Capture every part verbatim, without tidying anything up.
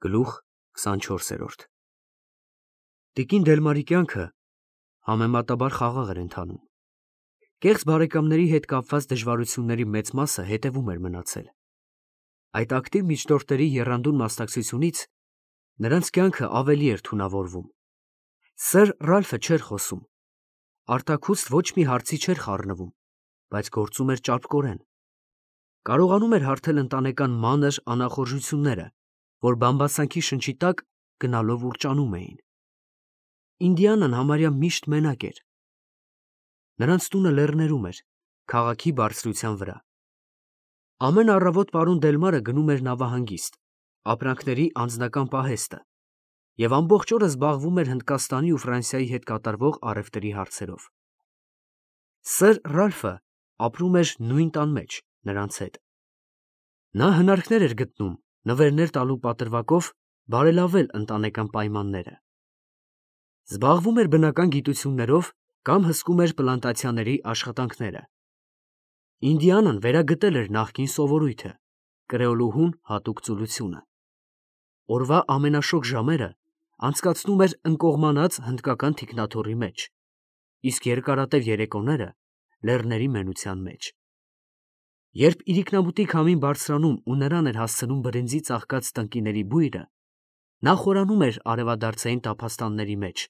Գլուխ քսանչորսերորդ Տիկին Դելմարի կյանքը համեմատաբար խաղաղ էր ընթանում։ Կեղծ բարեկամների հետ կապված դժվարությունների մեծ մասը հետևում էր մնացել։ Այդ ակտիվ միջնորդների եռանդուն մասնակցությունից նրանց կյանքը ավելի էր թունավորվում։ Սըր Ռալֆը չէր խոսում, արտաքուստ ոչ մի հարցի չէր խառնվում, բայց գործում էր ճարպկորեն։ Կարողանում էր հարթել ընտանեկան մանր անախորժությունները, որ բամբասանքի շնչի տակ գնալով ուռճանում էին։ Ինդիանան համարյա միշտ մենակ էր։ Նրանց տունը լեռներում էր, քաղաքի բարձրության վրա։ Ամեն առավոտ պարոն Դելմարը գնում էր նավահանգիստ, ապրանքների անձնական պահեստը, և ամբողջ օրը զբաղվում էր Հնդկաստանի ու Ֆրանսիայի հետ կատարվող առևտրի հարցերով։ Սըր Ռալֆը ապրում էր նույն տան մեջ նրանց հետ։ Նա հնարքներ էր գտնում նվերներ տալու պատրվակով բարելավել ընտանեկան պայմանները։ Զբաղվում էր բնական գիտություններով կամ հսկում էր պլանտացիաների աշխատանքները։ Ինդիանան վերագտել էր նախկին սովորույթը, կրեոլուհուն հատուկ ծուլությունը։ Օրվա ամենաշոգ ժամերը անցկացնում էր ընկողմանած հնդկական թիկնաթոռի մեջ, իսկ երկարատև երեկոները լեռների մենության մեջ։ Երբ իրիկնաբուտի քամին բարձրանում ու նրան էր հասցնում բրենզի ծաղկած տնկիների բույրը, նա խորանում էր արևադարձային տափաստանների մեջ,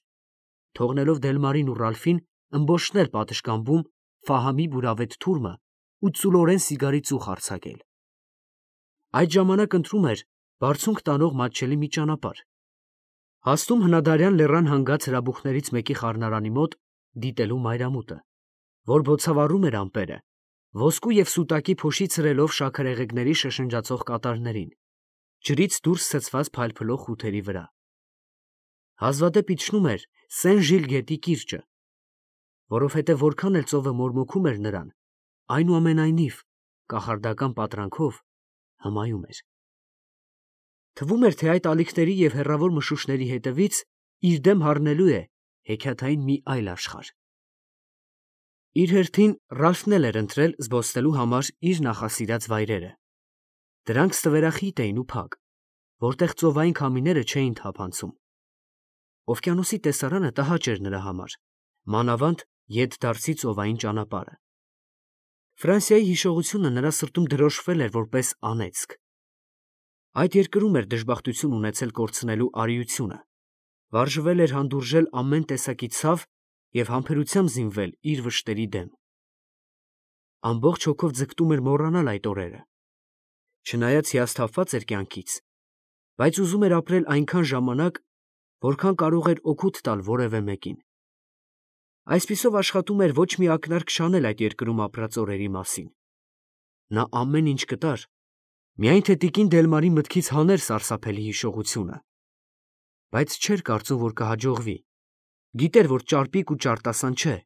թողնելով Դելմարին ու Ռալֆին ըմբոշխնել պատշգամբում Ֆահամի բուրավետ թուրմը ու ծուլորեն սիգարի ծուխ արձակել։ Այդ ժամանակ ընտրում էր բարձունք տանող մատչելի մի ճանապարհ, հասնում հնադարյան լեռան հանգած հրաբուխներից մեկի խառնարանի մոտ դիտելու մայրամուտը, որ բոցավառում էր ամպերը, ոսկու և սուտակի փոշի ցրելով շաքարեղեգների շշնջացող կատարներին, ջրից դուրս ցցված փայլփլող խութերի վրա։ Հազվադեպ իջնում էր Սեն֊Ժիլ գետի կիրճը, որովհետև որքան էլ ծովը մորմոքում էր նրան, այնուամենայնիվ կախարդական պատրանքով հմայում էր։ Թվում էր, թե այդ ալիքների և հեռավոր մշուշների հետևից իր դեմ հառնելու է հեքիաթային մի այլ աշխարհ։ Իր հերթին Ռալֆն էլ էր ընտրել զբոսնելու համար իր նախասիրած վայրերը։ Դրանք ստվերախիտ էին ու փակ, որտեղ ծովային քամիները չէին թափանցում։ Օվկիանոսի տեսարանը տհաճ էր նրա համար, մանավանդ ետդարձի ծովային ճանապարհը։ Ֆրանսիայի հիշողությունը նրա սրտում դրոշմվել էր որպես անեծք։ Այդ երկրում էր դժբախտություն ունեցել կորցնելու արիությունը, վարժվել էր հանդուրժել ամեն տեսակի ցավ և համբերությամբ զինվել իր վշտերի դեմ։ Ամբողջ հոգով ձգտում էր մոռանալ այդ օրերը, չնայած հիասթափված էր կյանքից, բայց ուզում էր ապրել այնքան ժամանակ, որքան կարող էր օգուտ տալ որևէ մեկին։ Այսպիսով աշխատում էր ոչ մի ակնարկ չանել այդ երկրում ապրած օրերի մասին։ Նա ամեն ինչ կտար, միայն թե տիկին Դելմարի մտքից հաներ սարսափելի հիշողությունը, բայց չէր կարծում, որ կհաջողվի։ Գիտեր, որ ճարպիկ ու ճարտասան չէ,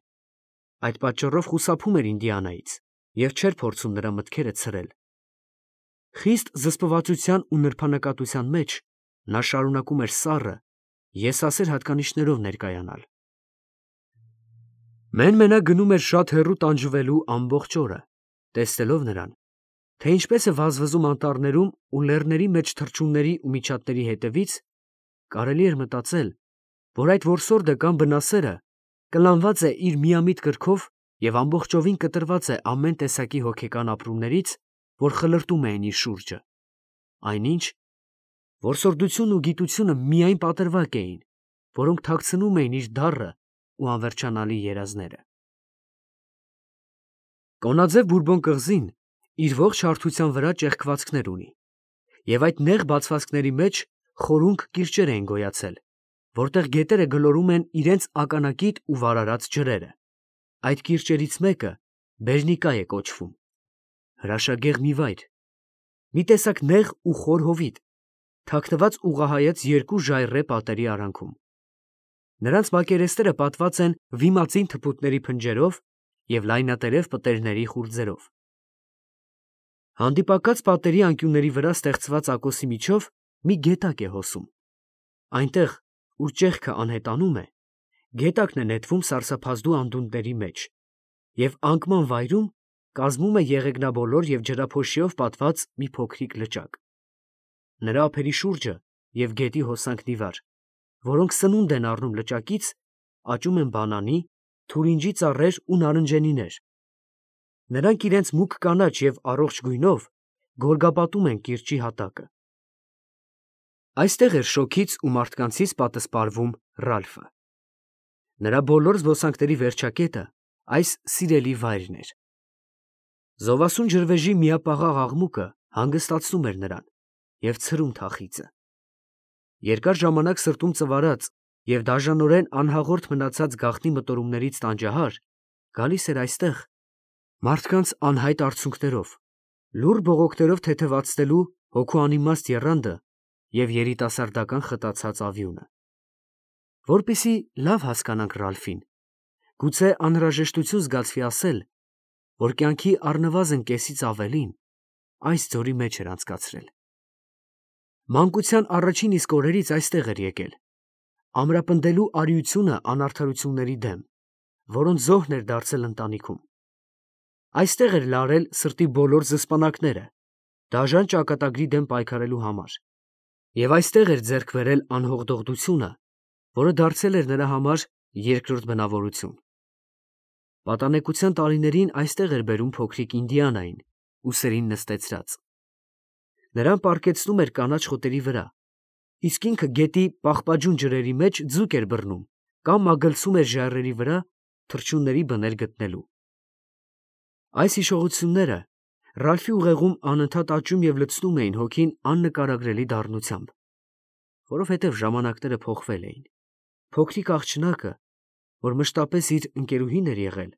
այդ պատճառով խուսափում էր Ինդիանայից և չէր փորձում նրա մտքերը ցրել։ Խիստ զսպվածության ու նրբանկատության մեջ նա շարունակում էր սառը, եսասեր հատկանիշներով ներկայանալ։ Մեն֊մենակ գնում էր շատ հեռու տանջվելու ամբողջ օրը, տեսնելով նրան, թե ինչպես է վազվզում անտառներում ու լեռների մեջ թռչունների ու միջատների հետևից, կարելի էր մտածել, որ այդ որսորդը կամ բնասերը կլանված է իր միամիտ կրքով և ամբողջովին կտրված է ամեն տեսակի հոգեկան ապրումներից, որ խլրտում էին իր շուրջը, այնինչ, որսորդությունն ու գիտությունը միայն պատրվակ էին, որոնք թաքցնում էին իր դառը ու անվերջանալի երազները։ Կոնաձև բուրբոն կղզին իր ողջ հարթության վրա ճեղքվածքներ ունի, և այդ նեղ բացվածքների մեջ խորունկ կիրճեր էին գոյացել, որտեղ գետերը գլորում են իրենց ականակիտ ու վարարած ջրերը։ Այդ կիրճերից մեկը Բերնիկա է կոչվում, հրաշագեղ մի վայր, մի տեսակ նեղ ու խոր հովիտ, թաքնված ուղղահայաց երկու ժայռե պատերի արանքում։ Նրանց մակերեսները պատված են վիմածին թփուտների փնջերով և լայնատերև պտերիների խուրձերով։ Հանդիպակաց պատերի անկյունների վրա ստեղծված ակոսի միջով մի գետակ է հոսում։ Այնտեղ, ուր ճեղքը անհետանում է, գետակն է նետվում սարսափազդու անդունդների մեջ և անկման վայրում կազմում է եղեգնաբոլոր և ջրափոշիով պատված մի փոքրիկ լճակ։ Նրա ափերի շուրջը և գետի հոսանքն ի վար, որոնք սնունդ են առնում լճակից, աճում են բանանի, թուրինջի ծառեր ու նարնջենիներ։ Նրանք իրենց մուգ կանաչ և առողջ գույնով գորգապատում են կիրճի հատակը։ Այստեղ էր շոգից ու մարդկանցից պատսպարվում Ռալֆը։ Նրա բոլոր զբոսանքների վերջակետը այս սիրելի վայրն էր։ Զովասուն ջրվեժի միապաղաղ աղմուկը հանգստացնում էր նրան և ցրում թախիծը։ Երկար ժամանակ սրտում ծվարած և դաժանորեն անհաղորդ մնացած գաղտնի մտորումներից տանջահար գալիս էր այստեղ մարդկանց անհայտ արցունքներով, լուռ բողոքներով թեթևացնելու հոգու անիմաստ եռանդը և երիտասարդական խտացած ավյունը։ Որպեսզի լավ հասկանանք Ռալֆին, գուցե անհրաժեշտություն զգացվի ասել, որ կյանքի առնվազն կեսից ավելին այս ձորի մեջ էր անցկացրել։ Մանկության առաջին իսկ օրերից այստեղ էր եկել, ամրապնդելու արիությունը անարդարությունների դեմ, որոնց զոհն էր դարձել ընտանիքում։ Այստեղ էր լարել սրտի բոլոր զսպանակները, դաժան ճակատագրի դեմ պայքարելու համար, և այստեղ էր ձեռք բերել անհողդողդությունը, որը դարձել էր նրա համար երկրորդ բնավորություն։ Պատանեկության տարիներին այստեղ էր բերում փոքրիկ Ինդիանային, ուսերին նստեցրած։ Նրան պառկեցնում էր կանաչ խոտերի վրա, իսկ ինքը գետի պաղպաջուն ջրերի մեջ ձուկ էր բռնում կամ մագլցում էր ժայռերի վրա թռչունների բներ գտնելու։ Այս հիշողությունները Ռալֆի ուղեղում անընդհատ աճում և լցնում էին հոգին աննկարագրելի դառնությամբ, որովհետև ժամանակները փոխվել էին։ Փոքրիկ աղջնակը, որ մշտապես իր ընկերուհին էր եղել,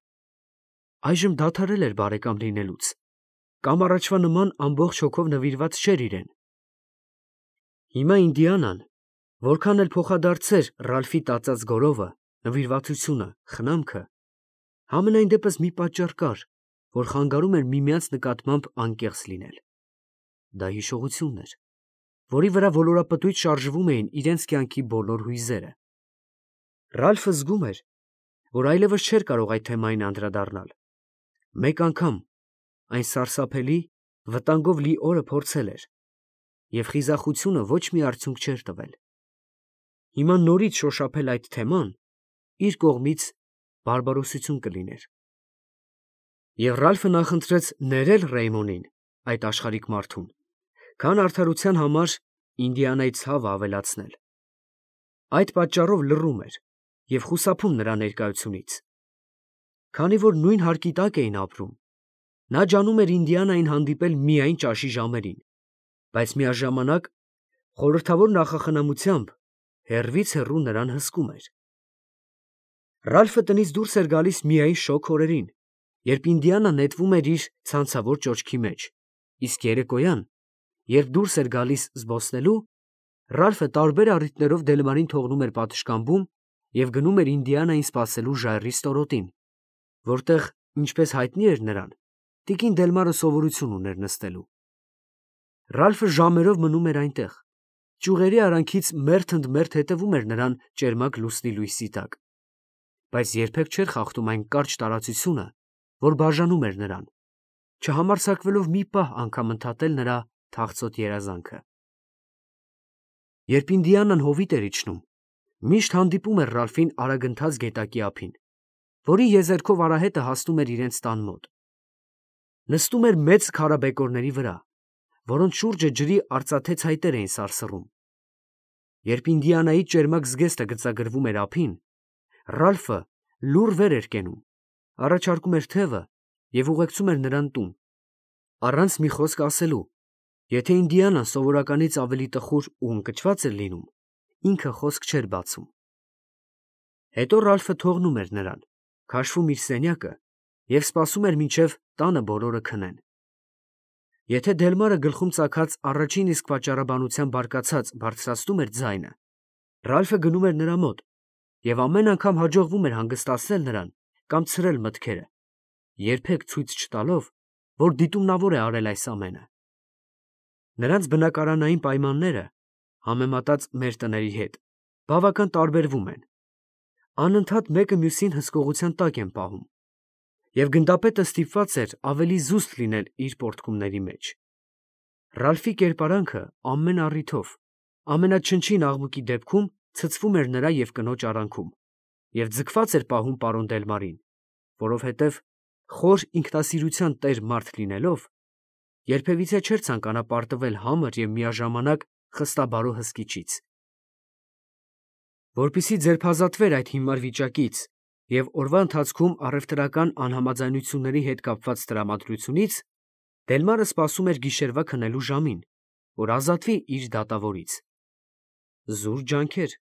այժմ դադարել էր բարեկամ լինելուց, կամ առաջվա նման ամբողջ հոգով նվիրված չէր իրեն։ Հիմա Ինդիանան, որքան էլ փոխադարձեր Ռալֆի տածած գորովը, նվիրվածությունը, խնամքը, համենայն դեպս մի պատճառ կար, որ խանգարում էր միմյանց նկատմամբ անկեղծ լինել։ Դա հիշողությունն էր, որի վրա ոլորապտույտ շարժվում էին իրենց կյանքի բոլոր հույզերը։ Ռալֆը զգում էր, որ այլևս չէր կարող այդ թեմային անդրադառնալ։ Մեկ անգամ այն սարսափելի, վտանգով լի օրը փորձել էր, և խիզախությունը ոչ մի արդյունք չէր տվել։ Հիմա նորից շոշափել այդ թեման իր կողմից բարբարոսություն կլիներ։ Եվ Ռալֆը նախընտրեց ներել Ռեյմոնին, այդ աշխարհիկ մարդուն, քան արդարության համար Ինդիանայի ցավը ավելացնել։ Այդ պատճառով լռում էր և խուսափում նրա ներկայությունից։ Քանի որ նույն հարկի տակ էին ապրում, նա ջանում էր Ինդիանային հանդիպել միայն ճաշի ժամերին, բայց միաժամանակ խորհրդավոր նախախնամությամբ հեռվից հեռու նրան հսկում էր։ Ռալֆը տնից դուրս էր գալիս միայն շոգ օրերին, երբ Ինդիանան նետվում էր իր ցանցավոր ճոճքի մեջ, իսկ երեկոյան, երբ դուրս էր գալիս զբոսնելու, Ռալֆը տարբեր առիթներով Դելմարին թողնում էր պատշգամբում և գնում էր Ինդիանային սպասելու ժայռի ստորոտին, որտեղ, ինչպես հայտնի էր նրան, տիկին Դելմարը սովորություն ուներ նստելու։ Ռալֆը ժամերով մնում էր այնտեղ, ճյուղերի արանքից մերթ ընդ մերթ հետևում էր նրան ճերմակ լուսնի լույսի տակ, բայց երբեք չէր խախտում այն կարճ տարածությունը, որ բաժանում էր նրան, չհամարձակվելով մի պահ անգամ ընդհատել նրա թախծոտ երազանքը։ Երբ Ինդիանան հովիտ էր իջնում, միշտ հանդիպում էր Ռալֆին արագընթաց գետակի ափին, որի եզերքով արահետը հասնում էր իրենց տան մոտ։ Նստում էր մեծ քարաբեկորների վրա, որոնց շուրջը ջրի արծաթե ցայտեր էին սարսռում։ Երբ Ինդիանայի ճերմակ զգեստը գծագրվում էր ափին, Ռալֆը լուռ վեր էր կենում, առաջարկում էր թևը և ուղեկցում էր նրան տուն, առանց մի խոսք ասելու։ Եթե Ինդիանան սովորականից ավելի տխուր ու ընկճված էր լինում, ինքը խոսք չէր բացում։ Հետո Ռալֆը թողնում էր նրան, քաշվում իր սենյակը և սպասում էր, մինչև տանը բոլորը քնեն։ Եթե Դելմարը գլխում ծագած առաջին իսկ պատճառաբանությամբ բարկացած բարձրացնում էր ձայնը, Ռալֆը գնում էր նրա մոտ և ամեն անգամ հաջողվում էր հանգստացնել նրան կամ ցրել մտքերը, երբեք ցույց չտալով, որ դիտումնավոր է արել այս ամենը։ Նրանց բնակարանային պայմանները, համեմատած մեր տների հետ, բավական տարբերվում են։ Անընդհատ մեկը մյուսին հսկողության տակ են պահում, և գնդապետը ստիպված էր ավելի զուսպ լինել իր պոռթկումների մեջ։ Ռալֆի կերպարանքը ամեն առիթով ամենաչնչին աղմուկի դեպքում ցցվում էր նրա և կնոջ արանքում և ձգված էր պահում պարոն Դելմարին, որովհետև խոր ինքնասիրության տեր մարդ լինելով, երբևիցե չէր ցանկանա պարտվել համր և միաժամանակ խստաբարո հսկիչից։ Որպեսզի ձերբազատվեր այդ հիմար վիճակից և օրվա ընթացքում առևտրական անհամաձայնությունների հետ կապված տրամադրությունից, Դելմարը սպասում էր գիշերվա քնելու ժամին, որ ազատվի իր դատավորից։ Զուր ջանքեր։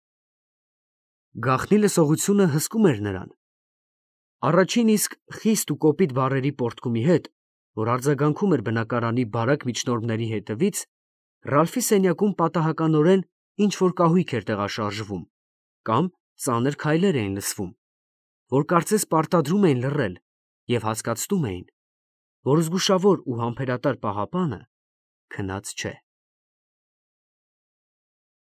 Գաղտնի լսողությունը հսկում էր նրան։ Առաջին իսկ խիստ ու կոպիտ բառերի պոռթկումի հետ, որ արձագանքում էր բնակարանի բարակ միջնորդների հետևից, Ռալֆի սենյակում պատահականորեն ինչ֊որ կահույք էր տեղաշարժվում կամ ծանր քայլեր էին լսվում, որ կարծես պարտադրում էին լռել և հասկացնում էին, որ զգուշավոր ու համբերատար պահապանը քնած չէ։